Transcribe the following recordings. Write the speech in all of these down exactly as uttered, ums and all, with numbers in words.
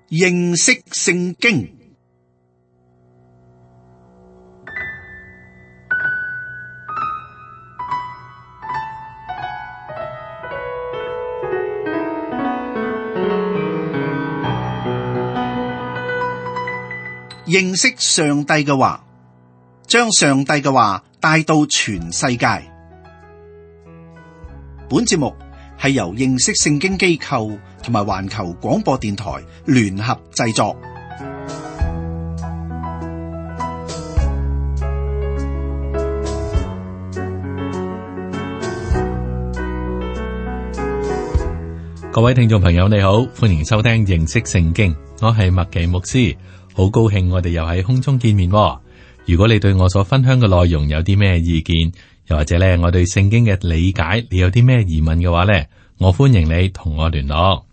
認識聖經。認識上帝嘅話，將上帝嘅話帶到全世界。本節目係由認識聖經機構同埋環球廣播電台聯合製作。各位聽眾朋友，你好，歡迎收聽認識聖經，我係麥奇牧師，好高興我哋又喺空中見面。如果你對我所分享嘅內容有啲咩意見，又或者咧我對聖經嘅理解，你有啲咩疑問嘅話咧，我歡迎你同我聯絡。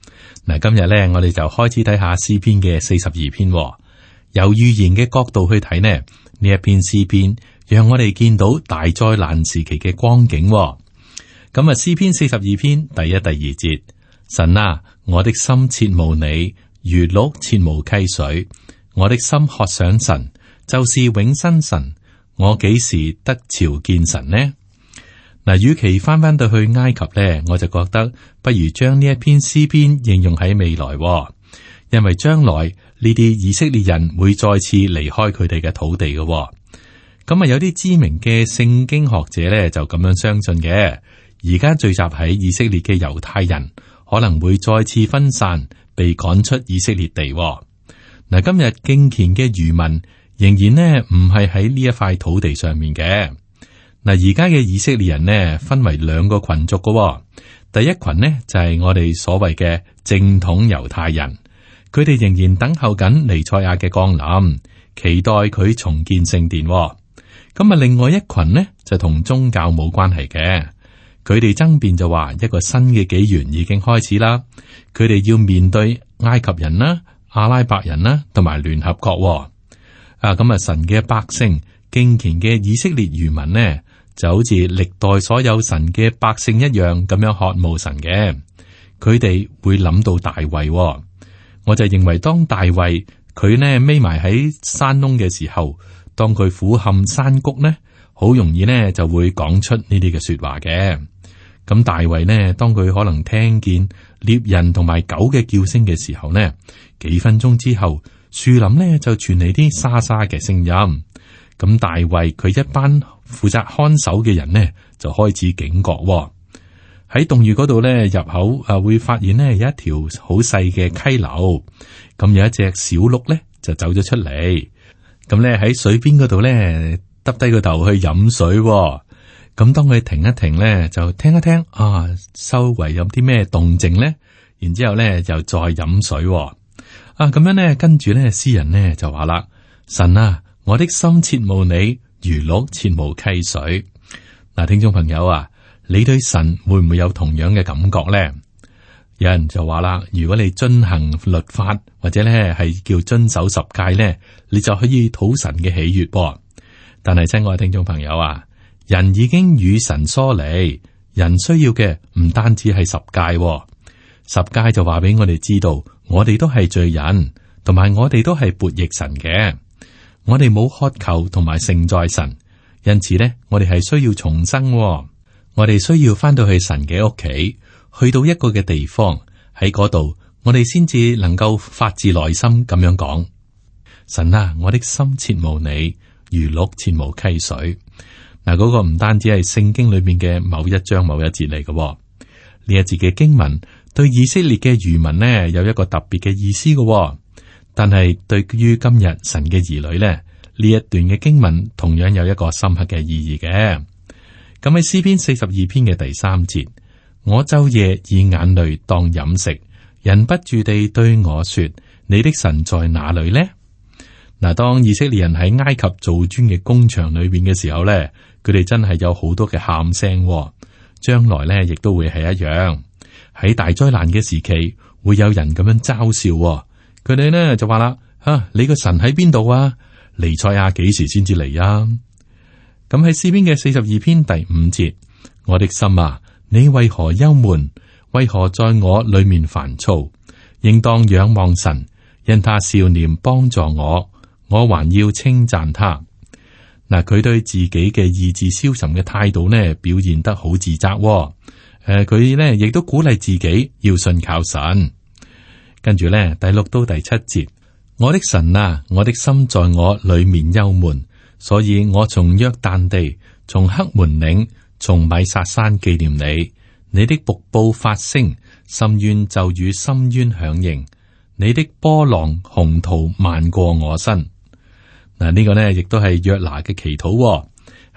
嗱，今日咧我哋就開始睇下詩篇嘅四十二篇。由預言嘅角度去睇呢，呢一篇詩篇讓我哋見到大災難時期嘅光景。咁啊，詩篇四十二篇第一、第二節。神啊，我的心切慕你，如鹿切慕溪水。我的心渴想神，就是永生神。我幾時得朝見神呢？嗱，與其翻翻到去埃及呢，我就覺得不如將呢一篇詩篇應用喺未來，因為將來呢啲以色列人會再次離開佢哋嘅土地嘅。咁啊，有啲知名嘅聖經學者呢，就咁樣相信嘅。而家聚集喺以色列嘅猶太人，可能會再次分散，被趕出以色列地。嗱，今日敬虔嘅餘民仍然呢唔係喺呢一塊土地上面嘅。嗱，而家嘅以色列人呢分為兩個群族嘅。第一群呢就係我哋所謂嘅正統猶太人，佢哋仍然等候緊彌賽亞嘅降臨，期待佢重建聖殿。咁啊，另外一群呢就同宗教冇關係嘅。佢哋爭辯就話一個新嘅紀元已經開始啦，佢哋要面對埃及人啦、阿拉伯人啦，同埋聯合國。啊，咁啊，神嘅百姓敬虔嘅以色列餘民呢，就好似歷代所有神嘅百姓一樣咁樣渴慕神嘅。佢哋會諗到大衛，我就認為當大衛佢呢匿埋喺山窿嘅時候，當佢俯瞰山谷呢，好容易呢就會講出呢啲嘅說話嘅。咁大衛呢，當佢可能聽見獵人同埋狗嘅叫聲嘅時候呢，幾分鐘之後，樹林呢就傳嚟啲沙沙嘅聲音。咁大衛佢一班負責看守嘅人呢，就開始警覺喎。喺洞穴嗰度呢，入口啊會發現呢有一條好細嘅溪流，咁有一隻小鹿呢就走咗出嚟，咁呢喺水邊嗰度呢，耷低個頭去飲水喎。咁當佢停一停咧，就聽一聽啊，周圍有啲咩動靜咧？然之後咧，又再飲水喎。啊，咁樣咧，跟住咧，詩人咧就話啦：神啊，我的心切慕你，如鹿切慕溪水。嗱，聽眾朋友啊，你對神會唔會有同樣嘅感覺咧？有人就話啦，如果你遵行律法，或者咧係叫遵守十誡咧，你就可以討神嘅喜悅。但係親愛嘅聽眾朋友啊，人已經與神疏離，人需要嘅唔單止係十誡，哦，十誡就話俾我哋知道，我哋都係罪人，同埋我哋都係悖逆神嘅，我哋冇渴求同埋承載神，因此呢，我哋係需要重生，哦，我哋需要翻到去神嘅屋企，去到一個嘅地方，喺嗰度，我哋先至能夠發自內心咁樣講：神啊，我的心切慕你，如鹿切慕溪水。嗱，嗰個唔單止係聖經裏面嘅某一章某一節嚟嘅，呢一節嘅經文對以色列嘅餘民呢有一個特別嘅意思嘅，但係對於今日神嘅兒女呢，呢一段嘅經文同樣有一個深刻嘅意義嘅。咁喺詩篇四十二篇嘅第三節，我晝夜以眼淚當飲食，忍不住地對我說：你的神在哪裏呢？嗱，當以色列人喺埃及做磚嘅工場裏邊嘅時候咧，佢哋真係有好多嘅喊聲，將來咧亦都會係一樣。喺大災難嘅時期，會有人咁樣嘲笑，佢哋呢就話啦：吓、啊，你個神喺邊度啊？彌賽亞幾時先至嚟啊？咁喺詩篇嘅四十二篇第五節，我的心啊，你為何憂悶？為何在我裏面煩躁？應當仰望神，因他笑臉幫助我，我還要稱讚他。嗱，佢對自己嘅意志消沉嘅態度呢，表現得好自責、哦。誒、呃，佢呢亦都鼓勵自己要信靠神。跟住呢，第六到第七節，我的神啊，我的心在我裏面憂悶，所以我從約旦地，從黑門嶺，從米薩山紀念你。你的瀑布發聲，深淵就與深淵響應。你的波浪洪濤漫過我身。嗱，呢個呢亦都係約拿嘅祈禱、哦。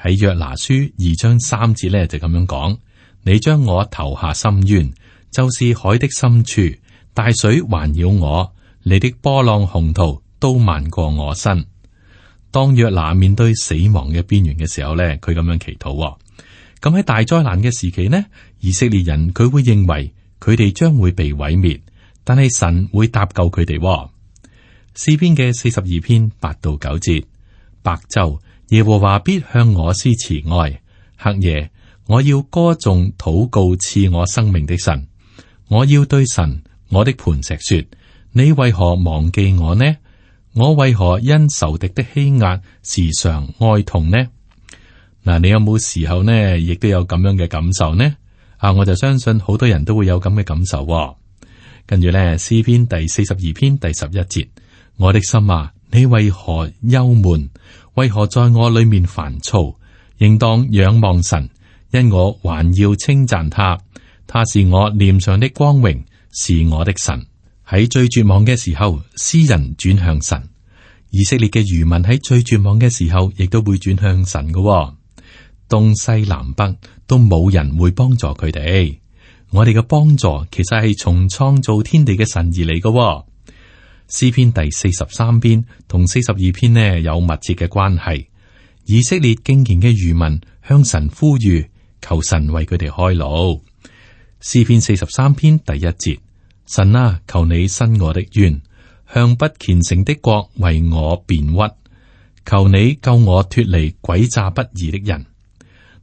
喺約拿書二章三節呢，就咁樣講：你將我投下深淵，就是海的深處，大水環繞我，你的波浪洪濤都漫過我身。當約拿面對死亡嘅邊緣嘅時候呢，佢咁樣祈禱、哦。咁喺大災難嘅時期呢，以色列人佢會認為佢哋將會被毀滅，但係神會搭救佢哋、哦。詩篇嘅四十二篇八到九節，白晝耶和華必向我施慈愛，黑夜我要歌頌禱告賜我生命的神。我要對神我的磐石說：你為何忘記我呢？我為何因仇敵的欺壓時常哀痛呢？嗱，你有冇時候呢，亦都有咁樣嘅感受呢？啊，我就相信好多人都會有咁嘅感受、哦。跟住咧，詩篇第四十二篇第十一節，我的心啊，你為何憂悶？為何在我裏面煩躁？應當仰望神，因我還要稱讚他。他是我臉上的光榮，是我的神。喺最絕望嘅時候，詩人轉向神。以色列嘅餘民喺最絕望嘅時候，亦都會轉向神嘅、哦。東西南北都冇人會幫助佢哋。我哋嘅幫助其實係從創造天地嘅神而嚟嘅、哦。詩篇第四十三篇同四十二篇呢有密切嘅關係。以色列敬虔嘅餘民向神呼籲，求神為佢哋開路。詩篇四十三篇第一節：神啊，求你伸我的冤，向不虔誠的國為我辯屈。求你救我脱離詭詐不義的人。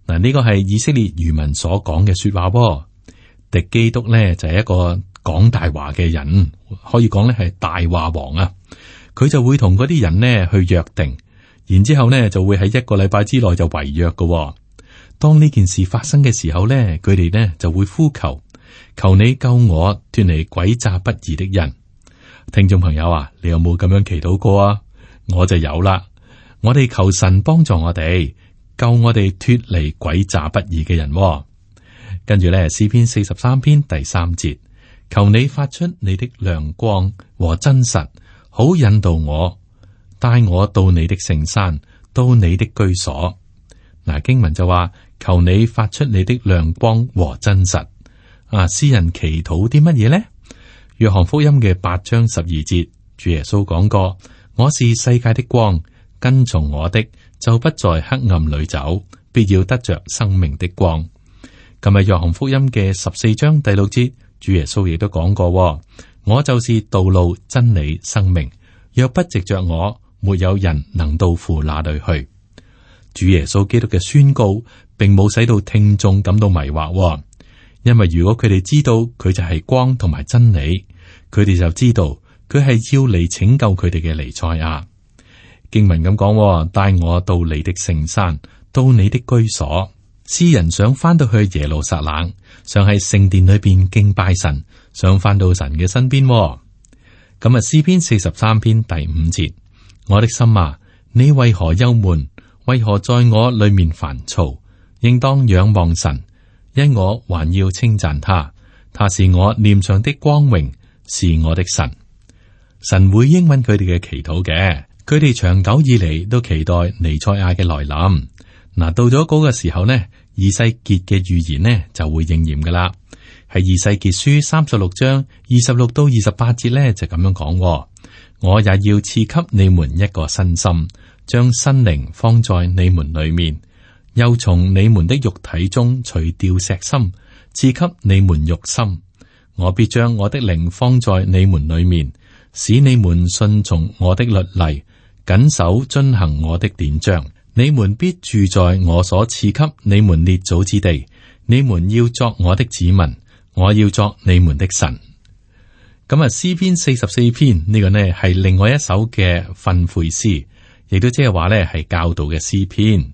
嗱，呢個係以色列餘民所講嘅說話喎。敵基督呢就係一個講大話嘅人，可以講咧係大話王啊。佢就會同嗰啲人呢去約定，然之後呢就會喺一個禮拜之內就違約嘅喎。當呢件事發生嘅時候呢，佢哋呢就會呼求，求你救我脱離詭詐不義的人。聽眾朋友啊，你有冇咁樣祈禱過啊？我就有啦。我哋求神幫助我哋。救我哋脱離詭詐不義嘅人、哦，跟住咧詩篇四十三篇第三節，求你發出你的亮光和真實，好引導我，帶我到你的聖山，到你的居所。嗱，經文就話，求你發出你的亮光和真實。啊，詩人祈禱啲乜嘢呢？約翰福音嘅八章十二節，主耶穌講過：我是世界的光，跟從我的，就不在黑暗裏走，必要得着生命的光。今日約翰福音嘅十四章第六節，主耶穌亦都講過：我就是道路、真理、生命，若不藉着我，沒有人能到父那裏去。主耶穌基督嘅宣告，並冇使到聽眾感到迷惑，因為如果佢哋知道佢就係光同埋真理，佢哋就知道佢係要嚟拯救佢哋嘅彌賽亞。經文咁講，帶我到你的聖山，到你的居所。詩人想翻到去耶路撒冷，想喺聖殿裏邊敬拜神，想翻到神嘅身邊。咁啊，詩篇四十三篇第五節：我的心啊，你為何憂悶？為何在我裏面煩躁？應當仰望神，因我還要稱讚他。他是我臉上的光榮，是我的神。神會應允佢哋嘅祈禱嘅。佢哋長久以嚟都期待彌賽亞嘅來臨。嗱，到咗嗰個時候呢，以西結嘅預言呢就會應驗噶啦。喺以西結書三十六章二十六到二十八節呢就咁樣講：我也要賜給你們一個新心，將新靈放在你們裏面，又從你們的肉體中除掉石心，賜給你們肉心。我必將我的靈放在你們裏面，使你們順從我的律例，謹守遵行我的典章。你們必住在我所賜給你們列祖之地，你們要作我的子民，我要作你們的神。咁啊，詩篇四十四篇呢個呢係另外一首嘅訓誨詩，亦都即係話呢係教導嘅詩篇。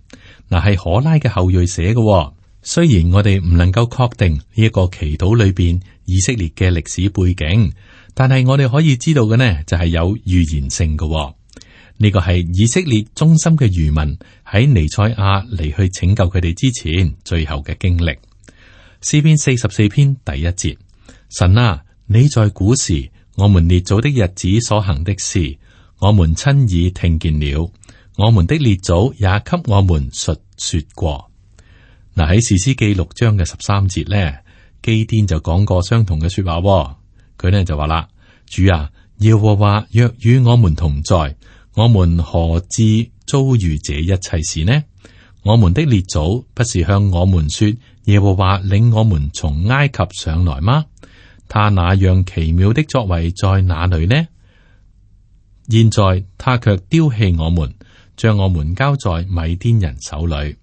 嗱，係可拉嘅後裔寫嘅。雖然我哋唔能夠確定呢一個祈禱裏邊以色列嘅歷史背景，但係我哋可以知道嘅呢就係有預言性嘅。呢個係以色列忠心嘅餘民喺彌賽亞嚟去拯救佢哋之前最後嘅經歷。詩篇四十四篇第一節：神啊，你在古時我們列祖的日子所行的事，我們親耳聽見了，我們的列祖也給我們述說過。嗱，喺士師記六章嘅十三節咧，基甸就講過相同嘅說話。佢呢就話啦：主啊，耶和華若與我們同在，我們何至遭遇這一切事呢？我們的列祖不是向我們說，耶和華領我們從埃及上來嗎？他那樣奇妙的作為在哪裏呢？現在他卻丟棄我們，將我們交在米甸人手裏。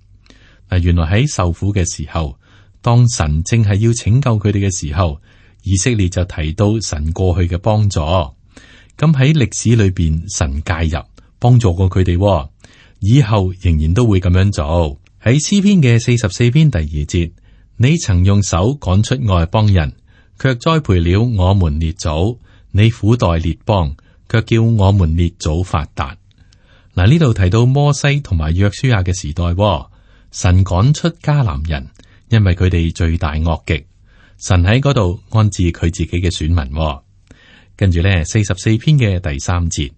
嗱，原來喺受苦嘅時候，當神正係要拯救佢哋嘅時候，以色列就提到神過去嘅幫助。咁喺歷史裏邊，神介入幫助過佢哋，以後仍然都會咁樣做。喺詩篇嘅四十四篇第二節，你曾用手趕出外邦人，卻栽培了我們列祖；你苦待列邦，卻叫我們列祖發達。嗱，呢度提到摩西同埋約書亞嘅時代，神趕出迦南人，因為佢哋罪大惡極。神喺嗰度安置佢自己嘅選民。跟住咧，四十四篇嘅第三節，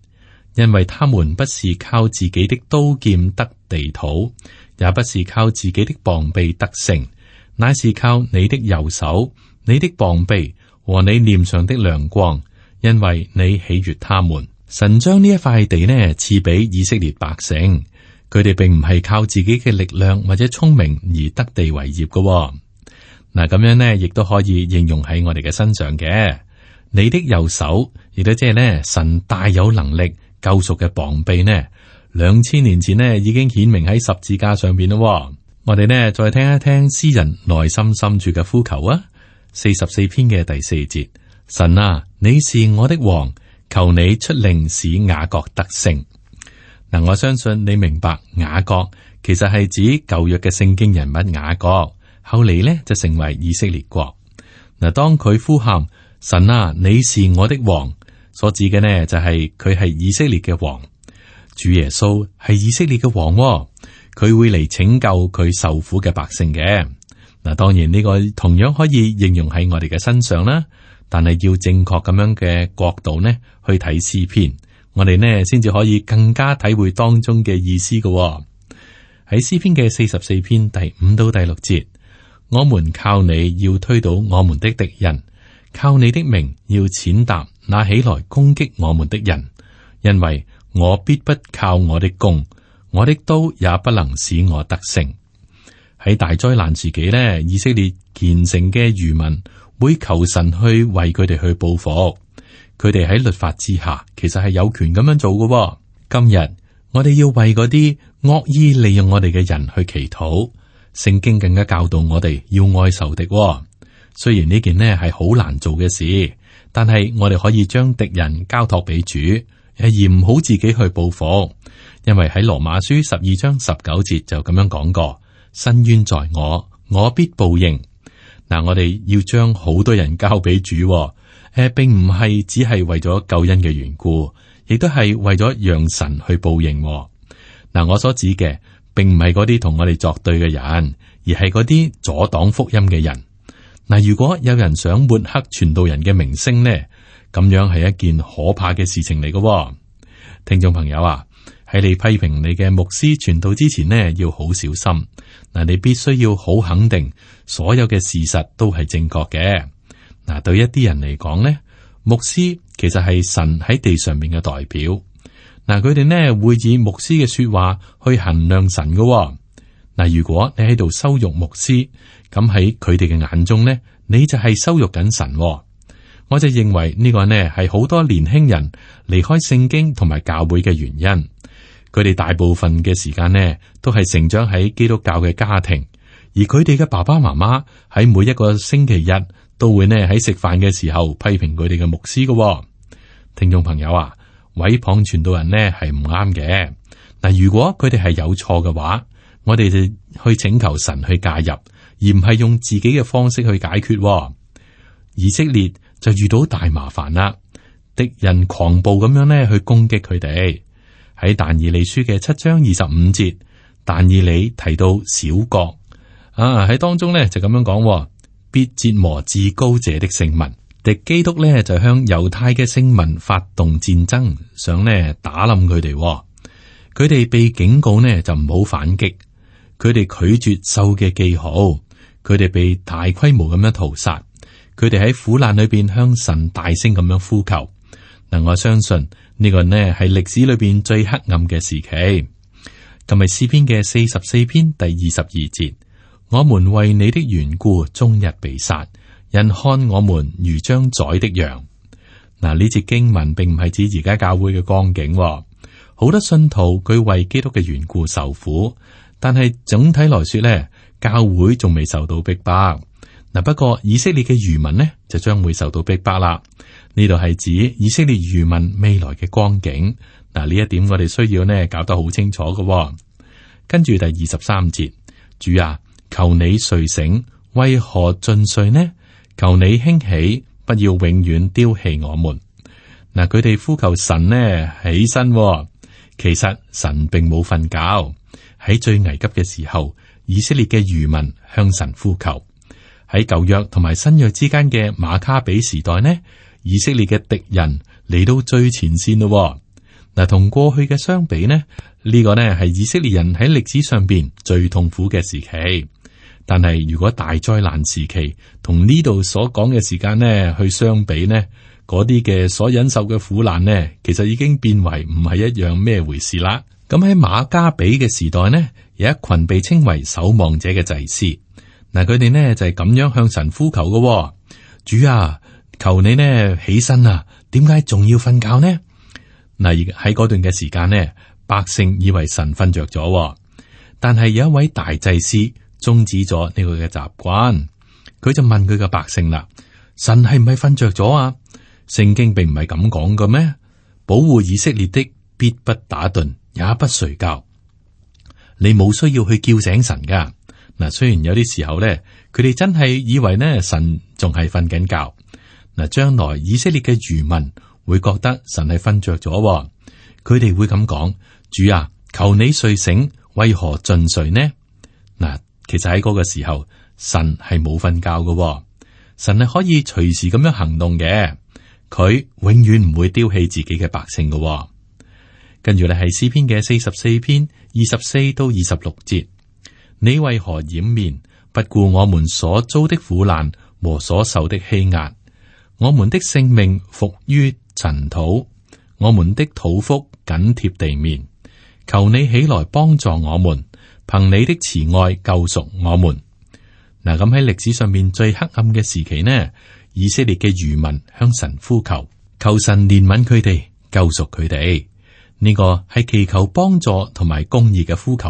因為他們不是靠自己的刀劍得地土，也不是靠自己的膀臂得勝，乃是靠你的右手、你的膀臂和你臉上的亮光，因為你喜悅他們。神將呢一塊地呢賜俾以色列百姓，佢哋並唔係靠自己嘅力量或者聰明而得地為業嘅。嗱，咁樣呢亦都可以應用喺我哋嘅身上嘅。你的右手，亦都即係呢神大有能力救贖嘅膀臂呢，兩千年前呢已經顯明喺十字架上邊咯。我哋呢再聽一聽詩人內心深處嘅呼求啊。四十四篇嘅第四節，神啊，你是我的王，求你出令使雅各得勝。嗱，我相信你明白雅各其實係指舊約嘅聖經人物雅各，後嚟呢就成為以色列國。嗱，當佢呼喊神啊，你是我的王，所指嘅呢就係佢係以色列嘅王。主耶穌係以色列嘅王，佢會嚟拯救佢受苦嘅百姓嘅。嗱，當然呢個同樣可以應用喺我哋嘅身上啦，但係要正確咁樣嘅角度呢去睇詩篇，我哋呢先至可以更加體會當中嘅意思嘅。喺詩篇嘅四十四篇第五到第六節，我們靠你要推倒我們的敵人，靠你的名要踐踏那起來攻擊我們的人，因為我必不靠我的弓，我的刀也不能使我得勝。喺大災難時期呢，以色列虔誠嘅餘民會求神去為佢哋去報復。佢哋喺律法之下，其實係有權咁樣做嘅。今日我哋要為嗰啲惡意利用我哋嘅人去祈禱。聖經更加教導我哋要愛仇敵。雖然呢件呢係好難做嘅事，但係我哋可以將敵人交託俾主，而唔好自己去報復。因為喺羅馬書十二章十九節就咁樣講過。伸冤在我，我必報應。嗱，我哋要將好多人交俾主，誒、呃，並唔係只係為咗救恩嘅緣故，亦都係為咗讓神去報應。嗱，我所指嘅，並唔係嗰啲同我哋作對嘅人，而係嗰啲阻擋福音嘅人。嗱，如果有人想抹黑傳道人嘅名聲呢，咁樣係一件可怕嘅事情嚟嘅。聽眾朋友啊，喺你批評你嘅牧師傳道之前呢，要好小心。嗱，你必須要好肯定所有嘅事實都係正確嘅。嗱，對一啲人嚟講呢，牧師其實係神喺地上面嘅代表。嗱，佢哋呢會以牧師嘅說話去衡量神嘅。嗱，如果你喺度羞辱牧師，咁喺佢哋嘅眼中呢，你就係羞辱緊神。我就認為呢個呢係好多年輕人離開聖經同埋教會嘅原因。佢哋大部分嘅時間呢，都係成長喺基督教嘅家庭，而佢哋嘅爸爸媽媽喺每一個星期日都會呢喺食飯嘅時候批評佢哋嘅牧師嘅。聽眾朋友啊，毀謗傳道人呢係唔啱嘅。嗱，如果佢哋係有錯嘅話，我哋就去請求神去介入，而唔係用自己嘅方式去解決。以色列就遇到大麻煩啦，敵人狂暴咁樣呢去攻擊佢哋。喺但以理書嘅七章二十五節，但以理提到小國啊，喺當中呢就咁樣講，必折磨至高者的聖民。敵基督呢就向猶太嘅聖民發動戰爭，想呢打冧佢哋。佢哋被警告呢就唔好反擊，佢哋拒絕獸嘅記號，佢哋被大規模咁樣屠殺，佢哋喺苦難裏邊向神大聲咁樣呼求。嗱，我相信呢個呢係歷史裏邊最黑暗嘅時期。今日詩篇嘅四十四篇第二十二節，我們為你的緣故終日被殺，人看我們如將宰的羊。嗱，呢節經文並唔係指而家教會嘅光景，好多信徒佢為基督嘅緣故受苦，但係總體來說呢，教會仲未受到逼迫。嗱，不過以色列嘅餘民呢就將會受到逼迫啦。呢度係指以色列餘民未來嘅光景。嗱，呢一點我哋需要呢搞得好清楚嘅。跟住第二十三節，主啊，求你睡醒，為何盡睡呢？求你興起，不要永遠丟棄我們。嗱，佢哋呼求神呢起身，其實神並冇瞓覺。喺最危急嘅時候，以色列嘅餘民向神呼求。喺舊約同埋新約之間嘅馬卡比時代呢，以色列嘅敵人嚟到最前線咯。嗱，同過去嘅相比呢，呢個呢係以色列人喺歷史上邊最痛苦嘅時期。但係如果大災難時期同呢度所講嘅時間呢去相比呢，嗰啲嘅所忍受嘅苦難呢，其實已經變為唔係一樣咩回事啦。咁喺馬加比嘅時代呢，有一群被稱為守望者嘅祭司。嗱，佢哋呢就係咁樣向神呼求嘅。主啊，求你呢起身啊，點解仲要瞓覺呢？嗱，喺嗰段嘅時間呢，百姓以為神瞓着咗，但係有一位大祭司終止咗呢個嘅習慣。佢就問佢嘅百姓啦：神係唔係瞓着咗啊？聖經並唔係咁講嘅咩？保護以色列的必不打盹，也不睡覺。你冇需要去叫醒神噶。嗱，雖然有啲時候咧，佢哋真係以為呢神仲係瞓緊覺。嗱，將來以色列嘅餘民會覺得神係瞓着咗，佢哋會咁講：主啊，求你睡醒，為何盡睡呢？嗱，其實喺嗰個時候，神係冇瞓覺嘅，神係可以隨時咁樣行動嘅，佢永遠唔會丟棄自己嘅百姓嘅。跟住咧係詩篇嘅四十四篇二十四到二十六節。你為何掩面，不顧我們所遭的苦難和所受的欺壓？我們的性命伏於塵土，我們的肚腹緊貼地面。求你起來幫助我們，憑你的慈愛救贖我們。嗱，咁喺歷史上面最黑暗嘅時期呢，以色列嘅餘民向神呼求，求神憐憫佢哋，救贖佢哋。呢個係祈求幫助同埋公義嘅呼求。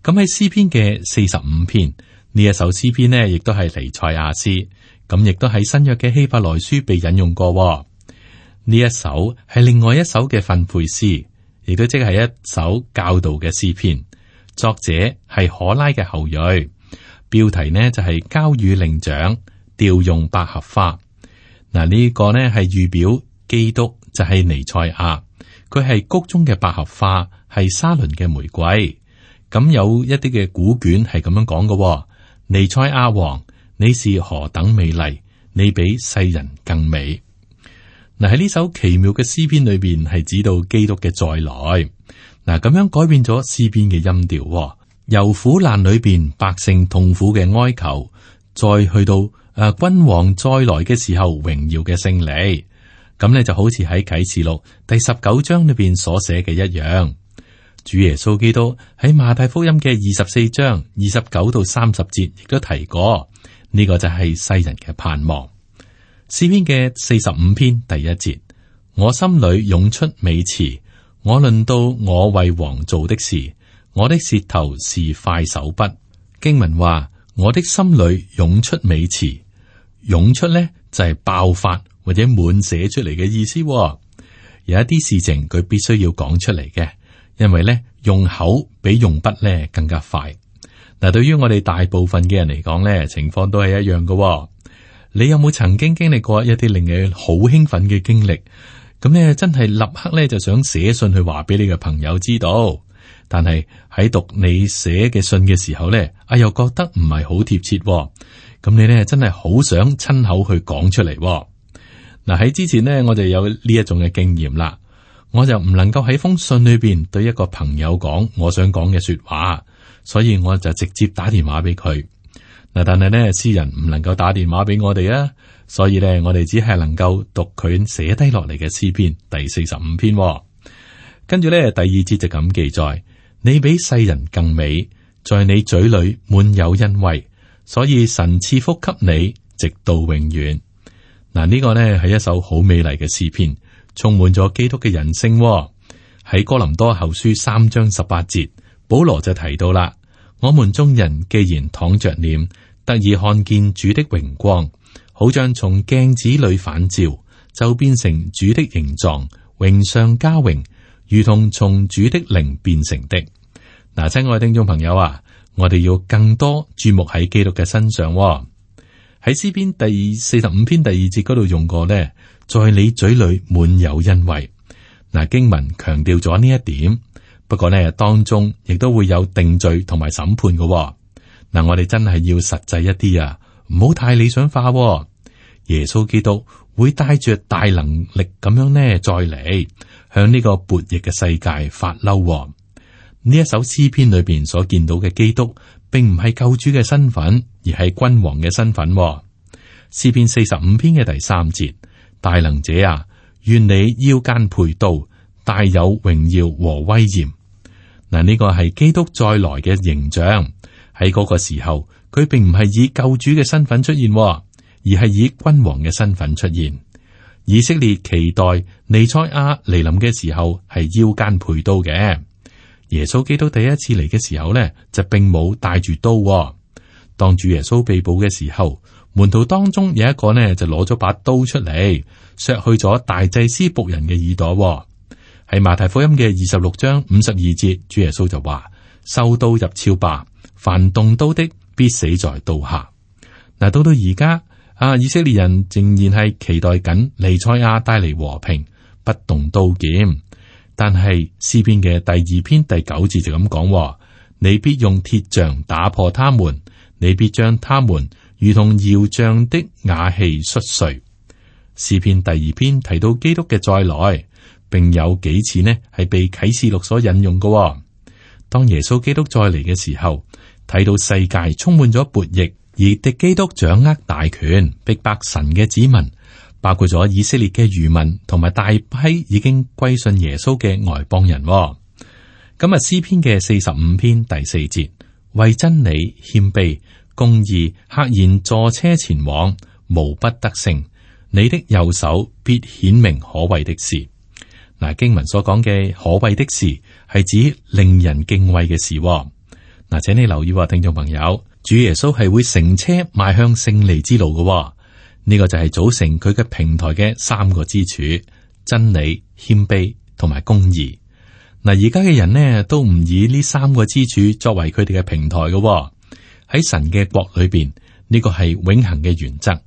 咁喺詩篇嘅四十五篇呢一首詩篇呢，亦都係彌賽亞詩，咁亦都喺新約嘅希伯來書被引用過。呢一首係另外一首嘅訓誨詩，亦都即係一首教導嘅詩篇。作者係可拉嘅後裔，標題呢就係交與伶長，調用百合花。嗱，呢個呢係預表基督就係彌賽亞，佢係谷中嘅百合花，係沙崙嘅玫瑰。咁有一啲嘅古卷係咁樣講嘅，彌賽亞王，你是何等美麗，你比世人更美。嗱，喺呢首奇妙嘅詩篇裏邊，係指到基督嘅再來。嗱，咁樣改變咗詩篇嘅音調，由苦難裏邊百姓痛苦嘅哀求，再去到誒、啊、君王再來嘅時候榮耀嘅勝利。咁咧就好似喺啟示錄第十九章裏邊所寫嘅一樣。主耶穌基督喺馬太福音嘅二十四章二十九到三十節亦都提過，呢、這個就係世人嘅盼望。詩篇嘅四十五篇第一節，我心裏湧出美詞，我論到我為王做的事，我的舌頭是快手筆。經文話，我的心裏湧出美詞，湧出咧就係爆發或者滿寫出嚟嘅意思。有一啲事情佢必須要講出嚟嘅，因為咧用口比用筆咧更加快。嗱，對於我哋大部分嘅人嚟講咧，情況都係一樣嘅。你有冇曾經經歷過一啲令你好興奮嘅經歷？咁咧真係立刻咧就想寫信去話俾你嘅朋友知道，但係喺讀你寫嘅信嘅時候咧，啊又覺得唔係好貼切。咁你咧真係好想親口去講出嚟。嗱，喺之前呢，我就有呢一種嘅經驗啦，我就唔能夠喺封信裏邊對一個朋友講我想講嘅說話，所以我就直接打電話俾佢。嗱，但係呢，詩人唔能夠打電話俾我哋啊，所以呢，我哋只係能夠讀佢寫低落嚟嘅詩篇第四十五篇。跟住呢，第二節就咁記載：你比世人更美，在你嘴裏滿有恩惠，所以神賜福給你，直到永遠。嗱，呢個呢係一首好美麗嘅詩篇，充滿咗基督嘅人性。喺哥林多後書三章十八節，保羅就提到啦：我們眾人既然敞着臉，得以看見主的榮光，好像從鏡子裏反照，就變成主的形狀，榮上加榮，如同從主的靈變成的。嗱，親愛嘅聽眾朋友啊，我哋要更多注目喺基督嘅身上。喺詩篇第四十五篇第二節嗰度用過呢，在你嘴裏滿有恩惠。嗱，經文強調咗呢一點，不過呢，當中亦都會有定罪同埋審判嘅。嗱，我哋真係要實際一啲啊，唔好太理想化。耶穌基督會帶着大能力咁樣呢，再嚟向呢個悖逆嘅世界發嬲。呢一首詩篇裏邊所見到嘅基督，並唔係救主嘅身份，而係君王嘅身份。詩篇四十五篇嘅第三節：大能者啊，願你腰間佩刀，大有榮耀和威嚴。嗱，呢個係基督再來嘅形象。喺嗰個時候，佢並唔係以救主嘅身份出現，而係以君王嘅身份出現。以色列期待彌賽亞嚟臨嘅時候，係腰間佩刀嘅。耶穌基督第一次嚟嘅時候呢，就並冇帶住刀。當主耶穌被捕嘅時候，門徒當中有一個呢，就攞咗把刀出嚟，削去咗大祭司僕人嘅耳朵。喺馬太福音嘅二十六章五十二節，主耶穌就話：收刀入鞘吧，凡動刀的必死在刀下。嗱，到到而家啊，以色列人仍然係期待緊彌賽亞帶嚟和平，不動刀劍。但係詩篇嘅第二篇第九節就咁講：你必用鐵杖打破他們，你必將他們如同窯匠的瓦器摔碎。詩篇第二篇提到基督嘅再來，並有幾次呢係被啟示錄所引用嘅。當耶穌基督再嚟嘅時候，睇到世界充滿咗悖逆，而敵基督掌握大權，逼迫神嘅子民。包括咗以色列嘅餘民，同埋大批已經歸信耶穌嘅外邦人。咁啊，詩篇嘅四十五篇第四節：為真理謙卑，公義赫然坐車前往，無不得勝。你的右手必顯明可畏的事。嗱，經文所講嘅可畏的事，係指令人敬畏嘅事。嗱，請你留意，聽眾朋友，主耶穌係會乘車邁向勝利之路嘅。呢個就係組成佢嘅平台嘅三個支柱：真理、謙卑同埋公義。嗱，而家嘅人呢，都唔以呢三個支柱作為佢哋嘅平台嘅。喺神嘅國裏邊，呢個係永恆嘅原則。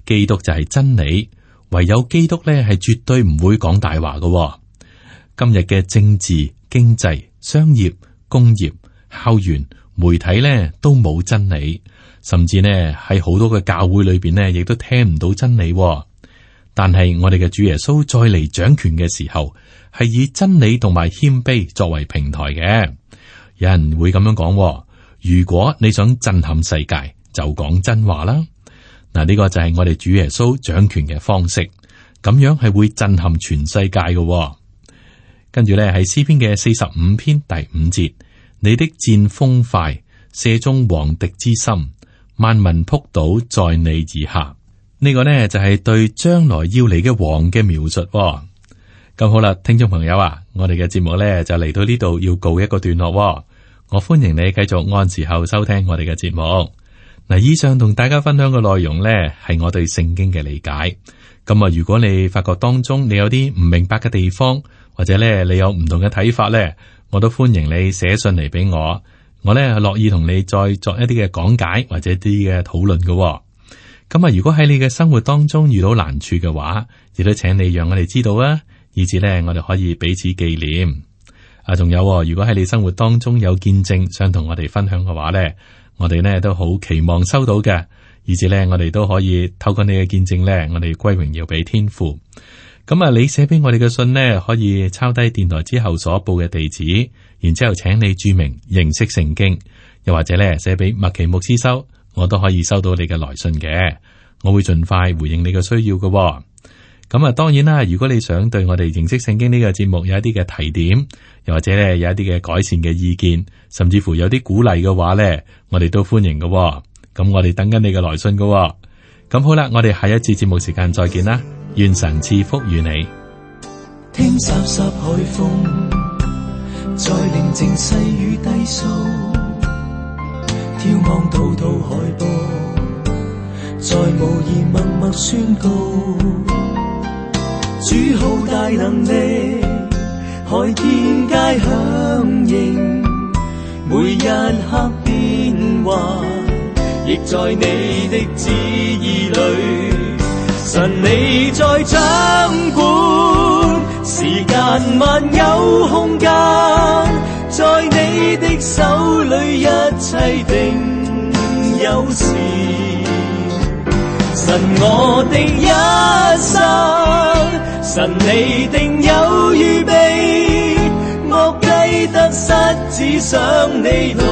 基督就係真理，唯有基督呢係絕對唔會講大話嘅。今日嘅政治、經濟、商業、工業、校園、媒體呢，都冇真理。甚至呢喺好多嘅教會裏邊呢，亦都聽唔到真理。但係我哋嘅主耶穌再嚟掌權嘅時候，係以真理同埋謙卑作為平台嘅。有人會咁樣講：如果你想震撼世界，就講真話啦。嗱，呢個就係我哋主耶穌掌權嘅方式，咁樣係會震撼全世界嘅。跟住咧，係詩篇嘅四十五篇第五節：你的箭鋒快，射中王敵之心。萬民仆倒在你以下，呢、這個呢就係、是、對將來要嚟嘅王嘅描述、哦。咁好啦，聽眾朋友啊，我哋嘅節目呢就嚟到呢度要告一個段落、哦。我歡迎你繼續按時候收聽我哋嘅節目。嗱，以上同大家分享嘅內容呢，係我對聖經嘅理解。咁啊，如果你發覺當中你有啲唔明白嘅地方，或者咧你有唔同嘅睇法咧，我都歡迎你寫信嚟俾我，我咧樂意同你再作一啲嘅講解或者啲嘅討論嘅。咁啊，如果喺你嘅生活當中遇到難處嘅話，亦都請你讓我哋知道啊，以至咧我哋可以彼此紀念。啊，仲有，如果喺你生活當中有見證想同我哋分享嘅話咧，我哋咧都好期望收到嘅，以至咧我哋都可以透過你嘅見證咧，我哋歸榮耀俾天父。咁啊，你寫俾我哋嘅信呢，可以抄低電台之後所報嘅地址，然之後請你注明認識聖經，又或者咧寫俾麥奇牧師收，我都可以收到你嘅來信嘅，我會盡快回應你嘅需要嘅。咁啊，當然啦，如果你想對我哋認識聖經呢個節目有一啲嘅提點，又或者咧有一啲嘅改善嘅意見，甚至乎有啲鼓勵嘅話咧，我哋都歡迎嘅。咁我哋等緊你嘅來信嘅。咁好啦，我哋下一次節目時間再見啦。願神賜福與你。聽颯颯海風，在寧靜細雨低訴，眺望滔滔海波，在無言默默宣告，主好大能力，海天皆響應，每一刻變幻，亦在你的旨意裏。神你在掌管，時間萬有空間，在你的手裏一切定有時。神我的一生，神你定有預備，莫計得失，只想你來